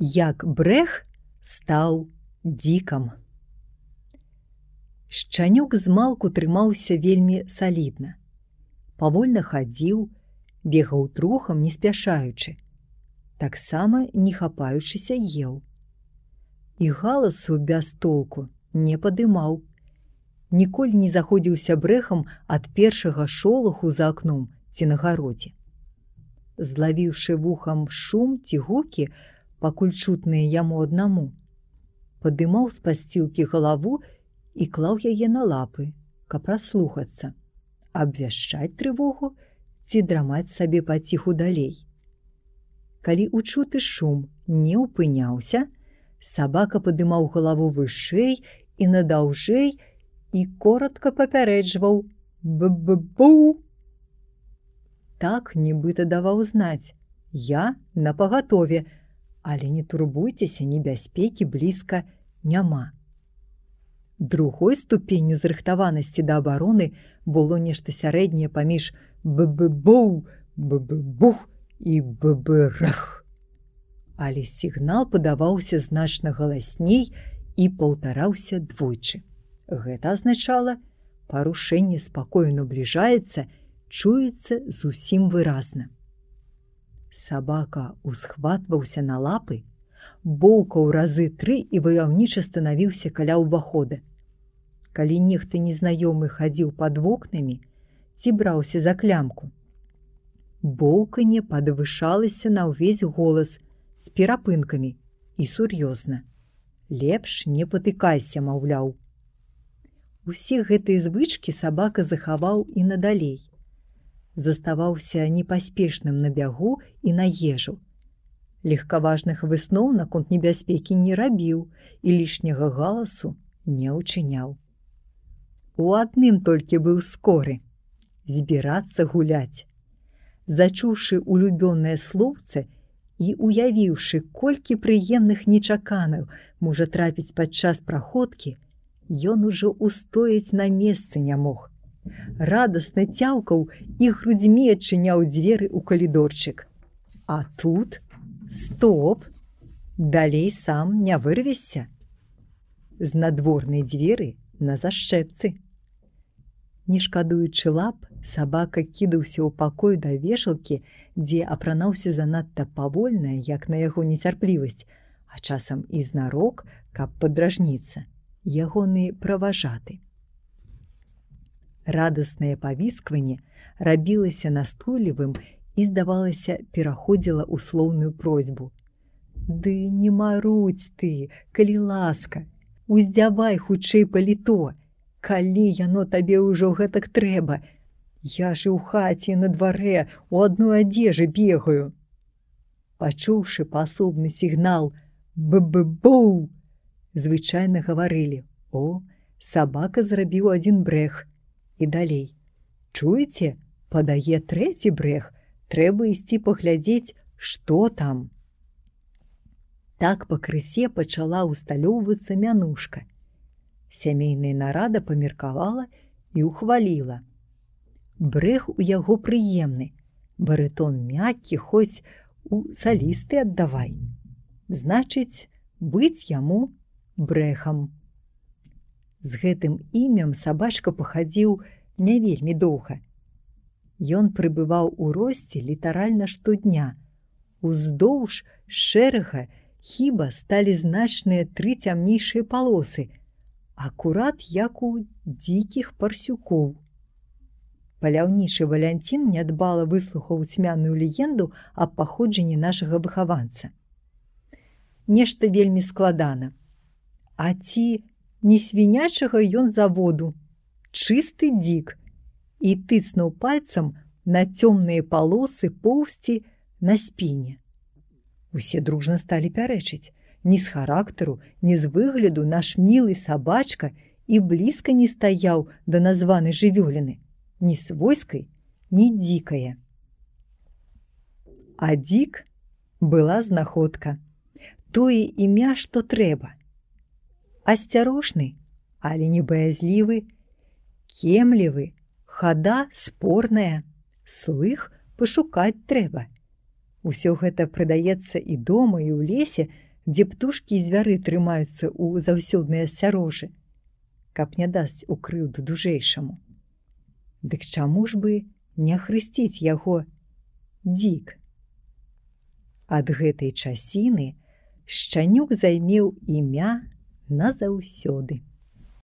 Як брэх стаў дзікам. Шчанюк змалку трымаўся вельмі салідна. Павольна хадзіў, бегаў трухам, не спяшаючы. Таксама не хапаючыся еў. І галасу без толку не падымаў. Ніколі не заходзіўся брэхам ад першага шолаху за акном ці на гародзе. Злавіўшы вухам шум ці гукі, пакуль чутныя яму аднаму, падымаў з пасцілкі галаву і клаў яе на лапы, каб праслухацца, абвяшчаць трывогу ці драмаць сабе паціху далей. Калі учуты шум не ўпыняўся, сабака падымаў галаву вышэй і надаўжэй і коротка папярэджваў «б-б-бу». Так нібыта даваў знаць: «Я напагатове, але не турбуйцеся, небяспекі блізка няма». Другой ступенню зрыхтаванасці да абароны было нешта сярэдняе паміж «б-б-бу», «б-б-бух» і «б-б-рах». Але сігнал падаваўся значна галасней і паўтараўся двойчы. Гэта азначала, парушэнне спакою набліжаецца, чуецца зусім выразна. Сабака усхватваўся на лапы, боўкаў разы 3 і ваяўніча станавіўся каля ўвахода. Калі нехта незнаёмы хадзіў пад вокнамі ці браўся за клямку, боўканне падвышалася на ўвесь голас з перапынкамі і сур'ёзна. Лепш не патыкайся, маўляў. Усе гэтыя звычкі сабака захаваў і надалей. Заставаўся непаспешным на бягу і на ежу. Легкаважных высноў наконт небяспекі не рабіў і лішняга галасу не ўчыняў. У адным толькі быў скоры – збірацца гуляць. Зачуўшы улюбёнае слоўце і уявіўшы, колькі прыемных нечаканаў можа трапіць падчас праходкі, ён ужо устояць на месцы не мог. Радасна цяўкаў і грудзьмі адчыняў дзверы ў калідорчык. А тут стоп! Далей сам не вырвешся. З надворнай дзверы на зашчэпцы. Не шкадуючы лап, сабака кідаўся ў пакой да вешалкі, дзе апранаўся занадта павольна, як на яго нецярплівасць, а часам і знарок, каб падражніцца, ягоны праважаты. Радаснае павіскванне рабілася настойлівым і, здавалася, пераходзіла ў слоўную просьбу. «Ды не марудзь ты, калі ласка, уздзявай хутчэй паліто, калі яно табе ўжо гэтак трэба. Я ж у хаце на дварэ у адной адзежы бегаю». Пачуўшы паасобны сігнал «б-б-бу», звычайна гаварылі: «О, сабака зрабіў адзін брэх». І далей: «Чуеце, падае 3-й брэх, трэба ісці паглядзець, што там». Так пакрысе пачала ўсталёўвацца мянушка. Сямейная нарада памеркавала і ухваліла. Брэх у яго прыемны, барытон мяккі, хоць у салісты аддавай. Значыць, быць яму брэхам. З гэтым імем сабачка пахадзіў не вельмі доўга. Ён прыбываў у росце літаральна штодня. Уздоўж шэрага хіба сталі значныя 3 цямнейшыя палосы, акурат як у дзікіх парсюкоў. Паляўнічы Валянцін нядбала выслухаў цьмяную легенду аб паходжанні нашага выхаванца. Нешта вельмі складана. А ці не свінячага ён заводу, чысты дзік, і тыцнуў пальцам на цёмныя палосы поўсці на спіне. Усе дружна сталі пярэчыць. Ні з характару, ні з выгляду наш мілы сабачка і блізка не стаяў да названай жывёліны, ні свойскай, ні дзікае. А дзік была знаходка. Тое імя, што трэба. Асцярожны, але не баязлівы, кемлівы, хада спорная, слых пашукаць трэба. Усё гэта прыдаецца і дома, і ў лесе, дзе птушкі і звяры трымаюцца ў заўсёднай асцярожы, каб не дасць у крыўду дужэйшаму. Дык чаму ж бы не ахрысціць яго Дзік? Ад гэтай часіны Шчанюк займеў імя назаўсёды.